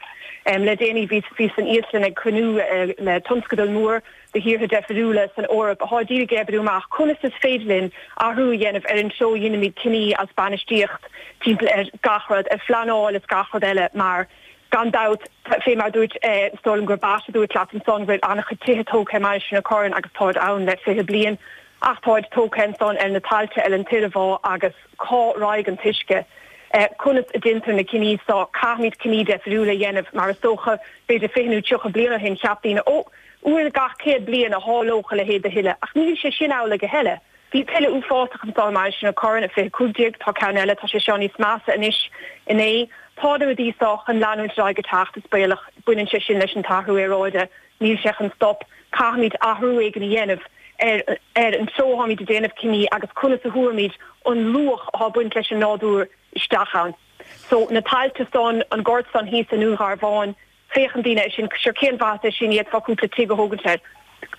Le déanaí bhíos, bhíos san Íoslainn ag cruinniú le tionscadal mór de thíortha deifriúla san Eoraip atá díreach ag oibriú amach conas is féidir linn athrú a dhéanamh ar an treo a dheinimid cinní as bainistíocht timpeall ar gach rud, ar phleanáil is gach rud eile mar Gan dabht, fé mar a dúirt, is dóigh liom gur Batt a dúirt leat ansan go bhfuil an-chuid tithe tógtha i Mainistir na Corann agus táid ann le fiche bliain ach táid tógtha ansan ar na tailte ar an t-iarmhá agus cá raghaidh an t-uisce? Conas a deintear na cinní so? Caithfimid cinní deifriúla a dhéanamh mar is dócha b'fhéidir fiche nó tríocha bliain ó shin cheap daoine ó, uair gach céad bliain a tharlódh a leithéid de thuile ach níl sé sin amhlaidh a thuilleadh. Bhí tuile uafásach anso i Mainistir na Corann i fiche cúig déag, tá ceann eile, tá sé seo níos measa anois inné. Tá na rudaí seo chun leanúint ar aghaidh ag teacht, is baolach, baineann sé sin leis an t-athrú aeráide, níl sé chun stop, caithfimid athrú éigin a dhéanamh ar ar an treo atáimid ag déanamh cinní agus conas a thabharfaimid an luach atá ag baint leis an nádúr isteach ann. So na tailte san, an gort san thíos i nDún Garbhán, Féachann daoine air sin, sure cén mhaitheas é sin, d'fhéadfá cúpla tigh a thógaint air.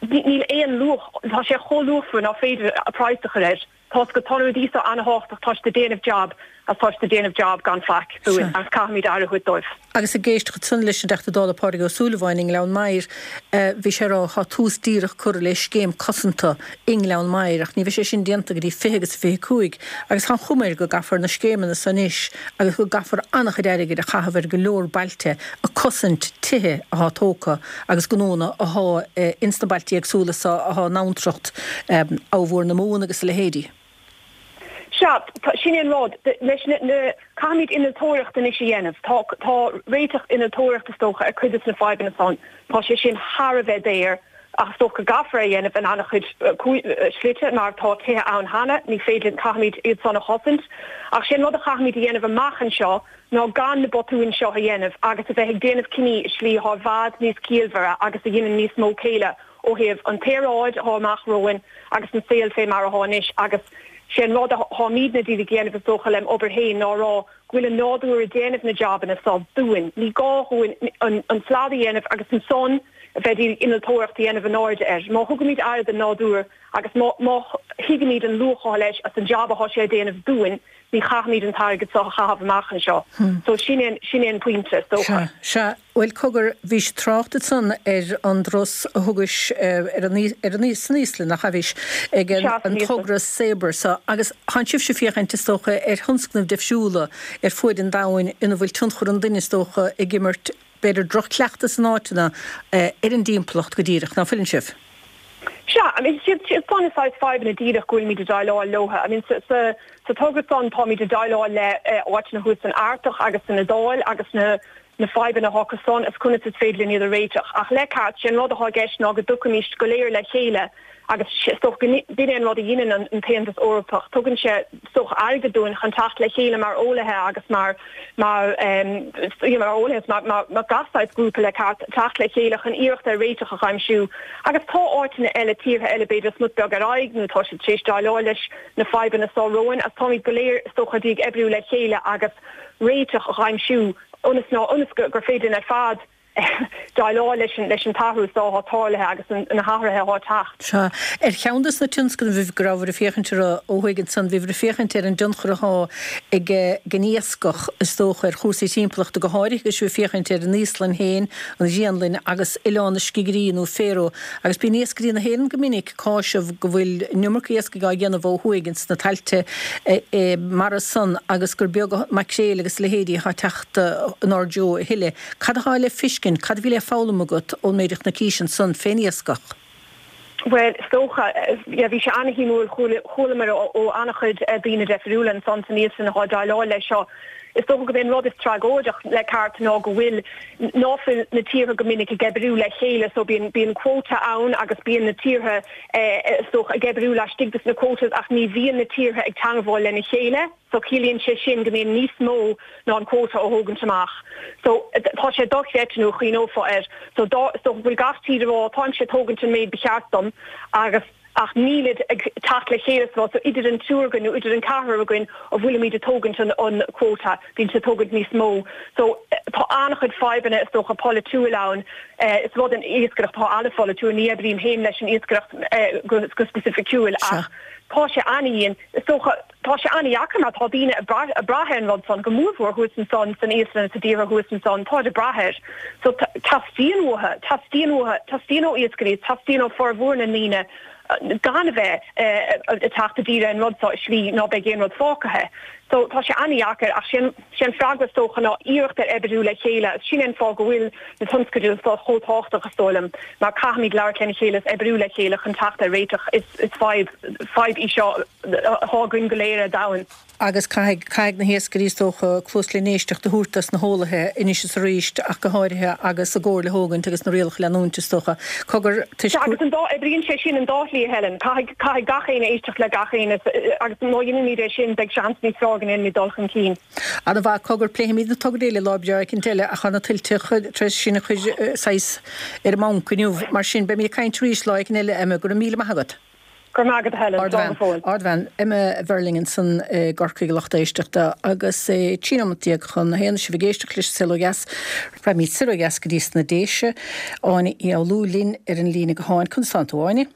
Níl aon luach, tá sé chomh luachmhar ná féidir praghas a chur air. Tá go, tá na rudaí seo ana-thábhachtach, tá siad ag déanamh jab agus tá siad ag déanamh jab gan faic dúinn agus caithfimid aire a thabhairt dóibh. Agus ag éisteacht ansan leis an dTeachta Dála Pádraig Ó Súilleabháin i nGleann Maghair, bhí sé ag rá tá tús díreach curtha le scéim cosanta i nGleann Maghair ach ní bheidh sé sin déanta go dtí fiche agus a fiche cúig agus tá an chuma air go gcaithfear na scéimeanna san anois agus go gcaithfear an-chuid airgid a chaitheamh ar go leor bailte ag cosaint tithe athá tógtha agus gnónna athá ins na bailtí éagsúla so athá in abhantracht Abha Mhór na Mumhan agus a leithéidí. Sea, sin é an rud. Leis na, caithfimid innealtóireacht anois a dhéanamh. Tá, tá réiteach innealtóireachta is dócha ar cuid de na fadhbanna san. Tá sé sin thar a bheith daor ach is dócha go gcaithfear é a dhéanamh in an-chuid slite mar tá tithe ann cheana, ní féidir linn, caithfimid iad san a chosaint. Ach sé an rud a chaithfimid a dhéanamh amach anseo ná gan na botúin seo a dhéanamh agus a bheith ag déanamh cinní i slí atá i bhfad níos ciallmhaire agus a dheineann níos mó céille ó thaobh an t-aeráid atá amach romhainn agus an saol fé mar atá anois agus sé an rud atáimidne díreach ag déanamh is dócha lem obair féin ná a rá go bhfuil an nádúr ag déanamh na jabanna so dúinn. Ní gá dhúinn an slad a dhéanamh agus ansan a bheith ag innealtóireacht a dhéanamh in airde air. Má thugaimid aire don nádúr agus má má thuigimid an luach atá leis as an jab atá sé ag déanamh dúinn, ní chaithfimid an t-airgead so a chaitheamh amach anseo. So sin é sin é an pointe, is dócha. Sea, sea. Bhuel, cogar, bhís ag trácht ansan ar an dturas a thugais ar an, ar an, san Íoslainn, nach ea, bhís ag an, Sea, san an Íoslainn. togra Sabre so, agus tánn sibhse ag féachaint, is dócha, ar thionscnaimh deifriúla ar fuaid an domhain ina bhfuil tionchar an duine, is dócha, ag imirt, b'fhéidir, droch-chleachtas in áiteanna ar an dtimpeallacht go díreach, ná fuileann sibh? Sea, I mean, siad siad san na saghas fadhbanna díreach go bhfuilimid ag déileáil leo. I mean, sa sa sa togra san táimid ag déileáil le áiteanna thuas san Artach agus san Iodáil agus na na fadhbanna atá acu san is conas is féidir linn iad a réiteach. Ach le ceart, sé an rud atá i gceist ná go dtiocfaimíst go léir le chéile agus is dócha go b'in é an rud a dheineann an tAontas Eorpach, tugann sé is dócha airgead dúinn chun teacht le chéile mar eolaithe agus mar mar mar eolaithe is mar mar gach saghas grúpa le ceart teacht le chéile chun iarracht ar réiteach a aimsiú. Agus tá áiteanna eile, tíortha eile b'fhéidir smut beag ar aghaidh nó tá siad tar éis déileáil leis na fadhbanna seo romhainn agus táimid go léir is dócha ag oibriú le chéile agus réiteach a aimsiú ionas ná ionas gur féidir linn ar fad déileáil leis an leis an t-athrú seo atá tarlaithe agus na hathruithe atá ag teacht. Sea. Ar cheann de na tionscnaimh go rabhabhair ag féachaint orthu ó thuaidh ansan, bhíobhair ag féachaint ar an dtionchar atá ag an iascach, is dócha, ar chúrsaí timpeallachta, go háirithe agus sibh ag féachaint ar an Íoslainn féin, an Ghraonlainn agus Oileán na Scigirí nó Faroe. Agus bíonn iascairí na hÉireann go minic ag cáiseamh go bhfuil an iomarca iascaigh á dhéanamh ó thuaidh ins na tailte mara san agus gur beag maicréil agus a leithéidí atá ag teacht inár dtreo a thuilleadh. Cad atá le feiscint, cad a bhí le foghlaim agat ón méid a chonaicís ansan fén iascach? Bhuel, is dócha, yeah, bhí sé ana-shuimiúil, chualamar ó ana-chuid daoine deifriúla ansan san Íoslainn atá ag déileáil leis seo. Is dócha gurb é an rud is tragóideach le ceart ná go bhfuil, ná fuil na tíortha go minic ag oibriú le chéile so bíonn, bíonn quota ann agus bíonn na tíortha is dócha ag oibriú laistigh des na quotas ach ní bhíonn na tíortha ag teangmháil lena chéile. So ciallaíonn sé sin go mbíonn níos mó ná an quota á thógaint amach. So tá sé dochreidte nuair a chuimhneofá air. So dá, is dócha go bhfuil gach tír ag rá táimse ag tógaint an méid ba cheart dom agus ach nílid ag teacht le chéile so idir an triúr againn nó idir an ceathrar againn a bhfuilimid ag tógaint an an quota bíonn sé tógaint níos mó so tá an-chuid fadhbanna is dócha polaitiúil ann is rud an iascaireacht tá an-pholaitiúil ní oibrím féin leis an iascaireacht go go specificiúil ach tá sé an-dian is dócha tá sé an-dheacair mar tá daoine ag brath ag brath ar an rud san go mórmhór thuas ansan san Íoslainn sa dtíortha thuas ansan tá ag brath air so teastaíonn uathu teastaíonn uathu teastaíonn ó iascairí teastaíonn ó formhór na ndaoine gan a bheith ag teacht i dtír ar an rud seo i slí ná beidh aon rud fágtha. So tá sé an-dheacair ach sin sin freagra is dócha ná iarracht ar oibriú le chéile sin an fáth go bhfuil na tionscadail seo chomh tábhachtach is dóigh liom mar caithfimid labhairt lena chéile is oibriú le chéile chun teacht ar réiteach is is fadhb fadhb í seo atá againn go léir ar domhan. Agus caithfidh caithfidh na hiascairí is dócha cluas le n-éisteacht a thabhairt dos na heolaithe anois is arís ach go háirithe agus a gcomhairle a thógaint agus na rialacha a leanúint is dócha. Cogar Sea agus an dá oibríonn sé sin an dá shlí a Helen. Caithfidh caithfidh gach éinne éisteacht le gach éinne agus má dhéanaimid é sin beidh seans níos fearr go ndéanfaimid dul chun cinn. Ana mhaith, cogar pléifimid na tograí eile lá breá éicint eile ach tá na tuilte tar éis sinn a chur saghas ar an mbonc inniu. Mar sin beimid ag caint arís lá éicint eile Emma. Go raibh míle maith agat. Go raibh maith agat a Helen. Slán go fóill. Ardbhean Emma Verling ansan i gCorcaigh a lucht éisteachta agus é trí nóimeat déag chun a haon sibh ag éisteacht leis an Saol Ó Dheas. Raghaimid soir ó dheas go dtí sna Déise. Áine Uí Fhoghlú linn ar an líne gutháin. Conas tánn tú Áine?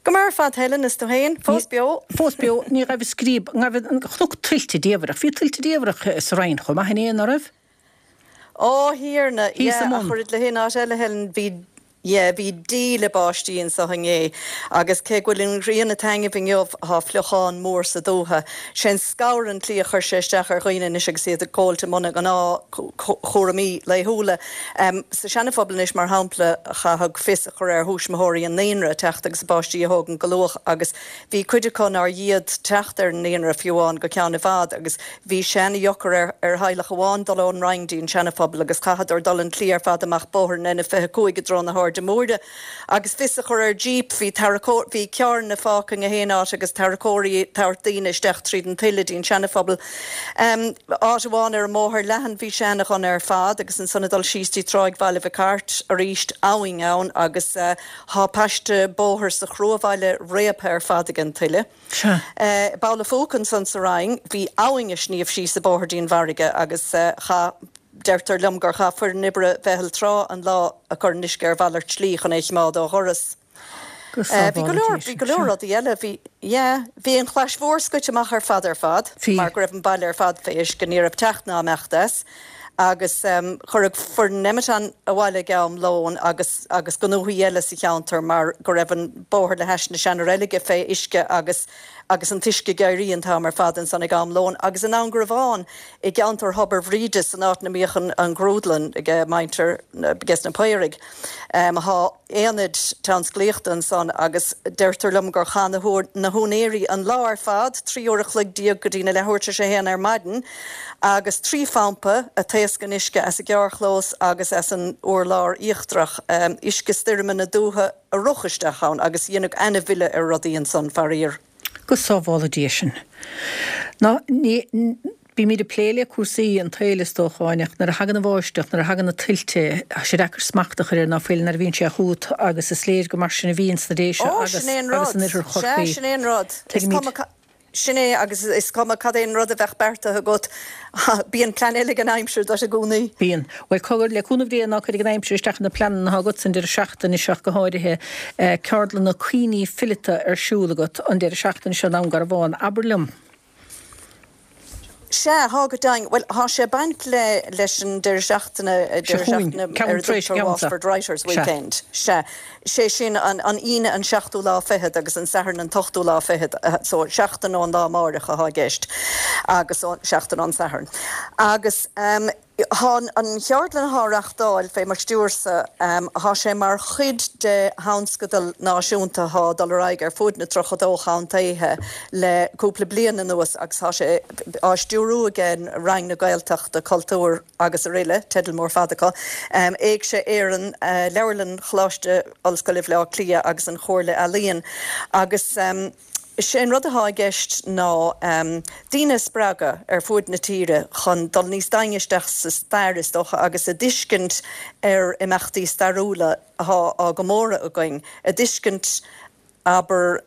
Go maith ar fad Helen is tú féin? Fós beo? Fós beo. Ní raibh scríob, ní raibh an chnoc tuilte diamhrach. Bhí tuilte diamhrach sa Rinn chomh maith inné, ná raibh? Ó Thiarna, Thíos yeah, i ach mbun. oiread le haon áit eile Helen, bhí Yeah, bhí díle báistí anso inné agus cé go bhfuil an ghrian ag taitneamh inniu thá fliuchán mór sa dúiche. Sé an scamhar an tslí a chuir sé isteach ar dhaoine anois agus iad ag gabháilt i mbun a ngnáthchúraimí laethúla. Sa Seana-Phobal anois mar shampla chaithfeadh fios a chur ar thuismitheoirí an naíonra teacht agus a bpáistí a thógaint go luath agus bhí cuid acu nár fhéad teacht ar an naíonra fiú amháin go ceann i bhfad agus bhí sé ana-dheacair ar ar theaghlach amháin dul ón Rinn dtí an Seana-Phobal agus chaitheadar dul an tslí ar fad amach bóthar an N fiche cúig i dtreo na hAirde Móire agus fios a chur ar jíp. Bhí tarracóir, bhí carranna fágtha i ngach aon áit agus tarracóirí ag tabhairt daoine isteach tríd an tuile dtí an Seana-Phobal. Áit amháin ar an mBóthar Leathan bhí sé ana-dhona ar fad agus ansan ag dul síos dtí Tráigh Bhaile Mhic Airt arís abhainn ann agus thá paiste bóthair sa Chruabhaile réabtha ar fad ag an tuile. Sea. I bPoll a' Phúca ansan sa Rinn bhí abhainn ag sníomh síos an bóthar dtí an bhfarraige agus chaith Deirtear liom gur chaith foireann oibre Mheitheal Trá an lá ag cur an uisce ar mhalairt slí chun é a chimeád ó dhoras. Go Bhí go sábhála leor, Dia bhí sinn. go leor Sea. rudaí eile. Bhí, yeah, bhí an Chlais Mhór scoite amach ar fad ar fad Bhí. mar go raibh an baile ar fad fé uisce, ní raibh teacht ná imeacht as. Agus cuireadh foireann Nemeton abhaile ag am lóin agus agus gnóthaí eile sa cheantar mar go raibh an bóthar le hais na seana-reilige fé uisce agus agus an t-uisce ag éirí an t-am ar fad ansan ag am lóin agus in Ann Garbhán i gceantar Thobar Bhríde san áit 'na mbíodh an an ghrúdlann ag muintir ages na Paoraigh. Thá aonad tionsclaíochta ansan agus deirtear liom gur chaith na na húinéirí an lá ar fad, trí uair a chloig déag go dtí na leathuair tar éis a haon ar maidin, agus trí phampa ag taoscadh an uisce as an gcearrchlós agus as an urlár íochtarach, uisce stoirme na dúiche a rith isteach ann agus dhéanadh ana-mhilleadh ar rudaí ansan, faraor. Go sábhála Dia sinn. Ná ní, bímid ag plé le cúrsaí an tsaoil is dócha, Áine, ach nuair a thagann an bháisteach, nuair a thagann na tuilte, tá sé deacair smacht a chur air ná fuil nuair a bhíonn sé chugat agus is léir go mar sin a bhíonn sna Déise Ó, agus sin é an agus rud. in oirthear Sea, Chorcaí. sin é an rud. Is Tuigimid. cuma Sin é, agus is cuma cad é an rud a bheadh beartaithe agat, bíonn plean eile ag an aimsir duit i gcónaí. Bíonn. Bhuel, cogar, le cúnamh Dé, ná cuirfidh an aimsir isteach ar na pleananna atá agat an deireadh seachtaine seo ach go háirithe. Ceardlanna cuimhní fileata ar siúl agat an deireadh seachtaine seo i nDún Garbhán. Abair liom. Sea, thá go deimhin. Bhuel, thá sé ag baint le leis an deireadh seachtaine, Seo deireadh chugainn, seachtaine ceann ar a tar éis dtugtar ceann sa. Waterford Writers' Sea. Weekend. Sea. Sé sin an an Aoine an seachtú lá fichead agus an Satharn an t-ochtú lá fichead, so seachtain ón lá amáireach athá i gceist agus seachtain ón Satharn. Agus ehm thá an cheardlann athá á reachtáil fé mo stiúrsa, ehm thá sé mar chuid de thionscadal náisiúnta athá ag dul ar aghaidh ar fuaid na tríocha dó chontaetha le cúpla bliain anuas agus thá sé á stiúrú ag Roinn na Gaeltachta, Cultúir agus Aroile, teideal mór fada acu, Éigse Éireann, Leabharlann Choláiste Ollscoile Bhaile Átha Cliath agus an Chomhairle Ealaíon agus. Sé an rud atá i gceist ná daoine a spreagadh ar fuaid na tíre chun dul níos doimhne isteach sa stair, is dócha, agus a dtuiscint ar imeachtaí stairiúla atá á gcomóradh againn, a dtuiscint, abair,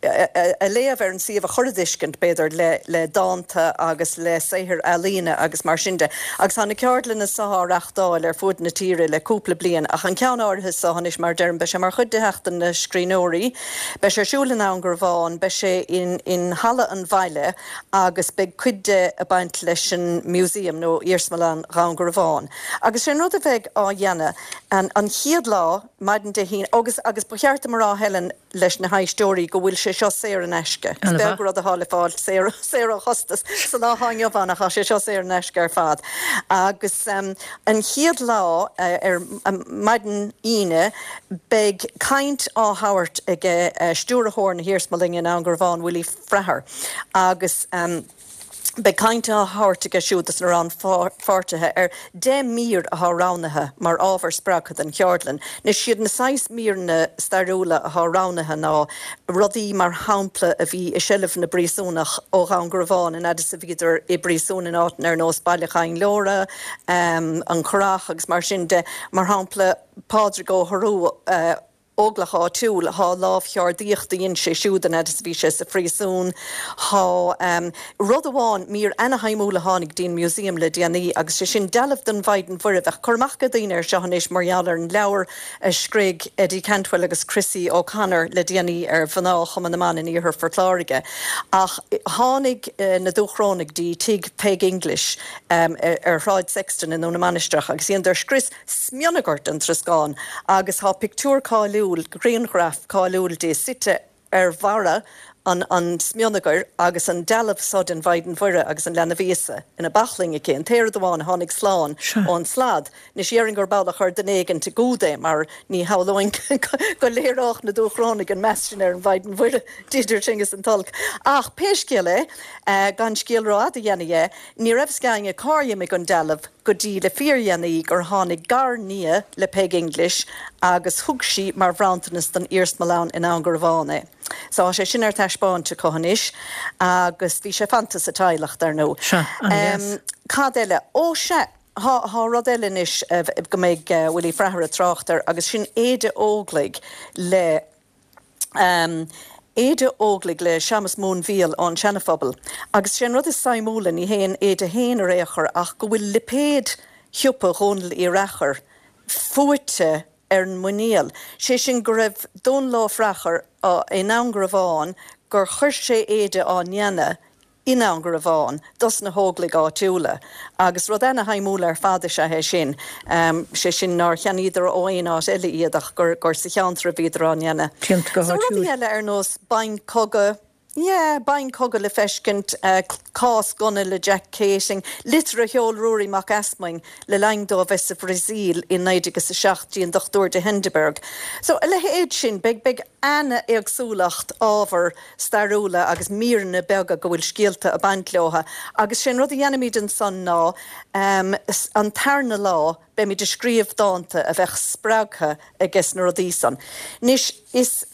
a léamh ar an suíomh a chur i dtuiscint, b'fhéidir, le dánta agus le saothair ealaíne agus mar sin de. Agus tá na ceardlanna seo á reáchtáil ar fuaid na tíre le cúpla bliain, ach an ceann áirithe seo anois, mar a deirim, beidh sé mar chuid de Sheachtain na Scríbhneoirí, beidh sé ar siúl i nDún Garbhán, beidh sé in in Halla an Bhaile agus beidh cuid de ag baint leis an Museum nó Iarsmalann Dhún Garbhán. Agus sé an rud a bheidh á dhéanamh an an chéad lá, maidin Dé hAoine, agus agus ba cheart dom a rá, Helen, leis na héisteoirí go bhfuil sé seo saor in aisce. Is beag rud atá le fáil saor saor ó chostas sa lá atá inniu ann ach tá sé seo saor in aisce ar fad. Agus an chéad lá ar maidin Aoine beidh caint á thabhairt ag stiúrthóir na hIarsmalainne i nDún Garbhán, Willie Fraher agus Beidh caint á thabhairt aige siúd dos na rannpháirtithe ar deich mír athá roghnaithe mar ábhar spreagtha don cheardlann. Anois siad na saghas míreanna stairiúla athá roghnaithe ná rudaí mar shampla a bhí i seilbh na bpríosúnach ó Dhún Garbhán an fhad is a bhíodar i bpríosún in áiteanna ar nós Baile Choinnleora, An Currach agus mar sin de. Mar shampla Pádraig Ó hOrú, Óglach áitiúil, thá lámhcheardaíocht a dhein sé siúd an fhad is a bhí sé sa phríosún. Thá rud amháin, mír ana-shuimiúil a tháinig dtí'n Museum le déanaí agus sé sin dealbh den Mhaighdean Mhuire. Bheadh cur amach ag daoine air seo anois mar gheall ar an leabhar a scrígh Eddie Cantwell agus Chrissy O'Connor le déanaí ar mhná Chumann na mBan in Iarthar Phort Láirge. Ach tháinig na Dúchrónaigh dtí tigh Peig English ar Shráid Sexton i nDún na Mainistreach agus dheineadar scrios smionagair den troscán agus thá pictiúr cáiliúil, grianghraf cáiliúil di suite ar bharra an an smionagair agus an dealbh so den Mhaighdean Mhuire agus an Leanbh Íosa ina baclainn aici, an t-aon rud amháin a tháinig slán ón slad. Anois dhéarfainn gurb amhlaidh a chuir duine éigint i gcumhad é mar ní shamhlóinn go léireodh na Dúchrónaigh an meas sin ar an Mhaighdean Mhuire, idir sin is an t-olc. Ach pé scéal é, gan scéal rófhada a dhéanamh dhe, ní raibh fhios ag éinne cár imigh an dealbh, go dtí le fíordhéanaí gur tháinig gar-nia le Peig English agus thug sí mar bhronntanas don iarsmalann i nDún Garbhán é. So tá sé sin ar taispeáint acu anois agus bhí sé fanta sa teaghlach, dar ndóigh. Sea, an-deas. Cad eile? Ó sea, thá, thá rud eile anois go mbeidh Willie Fraher ag trácht air agus sin éide Óglaigh le. Éide Óglaigh le Séamus Múinmhíol ón Seana-Phobal. Agus sé an rud is suimiúla, ní hé an éide fhéin ar aon chor ach go bhfuil lipéad shiopa Dhónaill Uí Reachair fuaite ar an muinéal. Sé sin go raibh Dónal Ó Reachair i nDún Garbhán gur chuir sé éide á ndéanamh i nDún Garbhán dos na hÓglaigh áitiúla agus rud ana-shuimiúil ar fad is ea é sin, sé sin nár cheannaíodar ó aon áit eile iad ach gur gur sa cheantar a bhíodar á ndéanamh. Déanta go So rudaí háitiúil. eile ar nós boinn cogaidh, yeah, boinn cogaidh le feiscint, cás gunna le Jack Keating, litir a sheol Ruairí Mac Easmainn le linn dó a bheith sa Bhrasaíl i naoi déag is a seacht dtí an Dochtúir de Hindeberg. So a leithéid sin, beidh beidh ana-éagsúlacht ábhar stairiúla agus míreanna beaga go bhfuil scéalta ag baint leo agus sé an rud a dhéanfaimid ansan ná an tarna lá beimid ag scríobh dánta a bheadh spreagtha ages na rudaí san. Anois is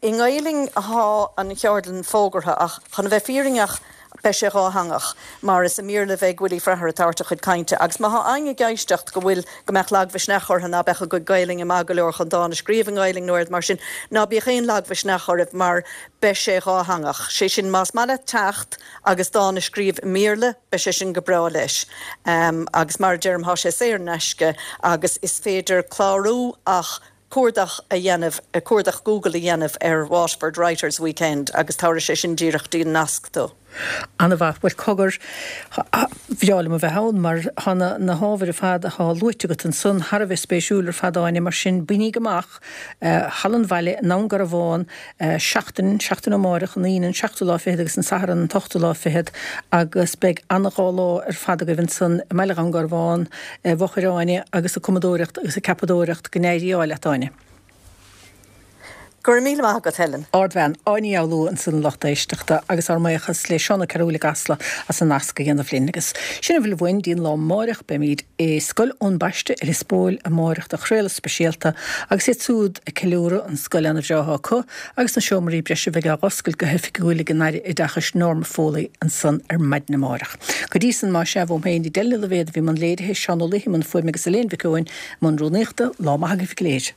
i nGaelainn athá an cheardlann fógartha ach chun a bheith fírinneach beidh sé dhátheangach mar is i mBéarla a bheidh Willie Fraher ag tabhairt a chuid cainte agus má thá éinne ag éisteacht go bhfuil, go mbeadh lagmhisneach orthu ná beadh a gcuid Gaelainne maith go leor chun dán a scríobh i nGaelainn nó rud mar sin, ná bíodh aon lagmhisneach oraibh mar beidh sé dhátheangach. Sé sin más maith leat teacht agus dán a scríobh i mBéarla beidh sé sin go breá leis. Agus mar a deirim thá sé saor in aisce agus is féidir clárú ach cuardach a dhéanamh, cuardach Google a dhéanamh ar Waterford Writers Weekend agus tabharfaidh sé sin díreach dtí an nasc tú. Ana-mhaith. Bhuel, cogar, bhreá liom a bheith ann mar thá na na hábhair ar fad athá luaite agat ansan thar a bheith spéisiúil ar fad Áine, mar sin bainigí amach Halla an Bhaile i nDún Garbhán seachtain, seachtain ó amáireach, an Aoine an seachtú lá fichead agus an Satharn an t-ochtú lá fichead agus beidh ana-dhá lá ar fad agaibh ansan i mbaile Dhún Garbhán i bhfochair Áine agus ag cumadóireacht agus ag ceapadóireacht. Go n-éirí leat Áine. Go raibh míle maith agat, Helen. Ardbhean, Áine Ní Fhoghlú ansan a lucht éisteachta agus ár mbuíochas le Seán Ó Cearúil i gCasla as an nasc a dhéanamh linn. Agus sin a bhfuil uainn dtí'n lá amáireach, beimid i Scoil Eoin Baiste i Lios Póil amáireach do chraoladh speisialta agus iad súd ag ceiliúradh an scoil ana-bhreá atá acu agus na seomraí breise a bheidh á dh'oscailt go hoifigiúil ag an Aire Oideachais Norma Foley ansan ar maidin amáireach. Go dtí san más ea, uaim féin, Edel Ní Loibhéad a bhí i mbun léirithe, Seán Ó Laoithe i mbun fuaime agus Elaine Mhic Eoin i mbun rúnaíochta, lá maith agaibh go léir.